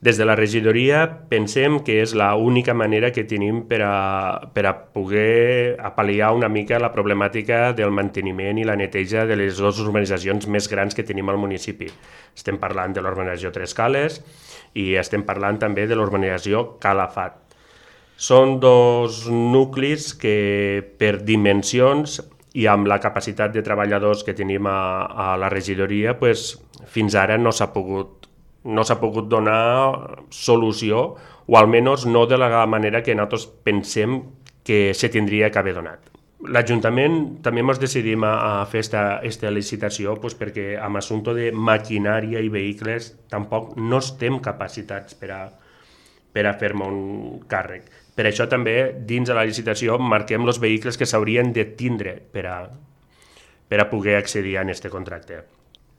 Des de la regidoria pensem que és l'única manera que tenim per a poder pal·liar una mica la problemàtica del manteniment i la neteja de les dues urbanitzacions més grans que tenim al municipi. Estem parlant de l'urbanització Tres Cales i estem parlant també de l'urbanització Calafat. Són dos nuclis que per dimensions i amb la capacitat de treballadors que tenim a la regidoria, pues, fins ara no s'ha pogut donar solució, o almenys no de la manera que nosaltres pensem que se tindria que haver donat. L'Ajuntament també ens decidim a fer esta licitació pues, perquè amb assumpte de maquinària i vehicles tampoc no estem capacitats per a fer-me un càrrec. Per això també dins de la licitació marquem els vehicles que s'haurien de tindre per a poder accedir a aquest contracte.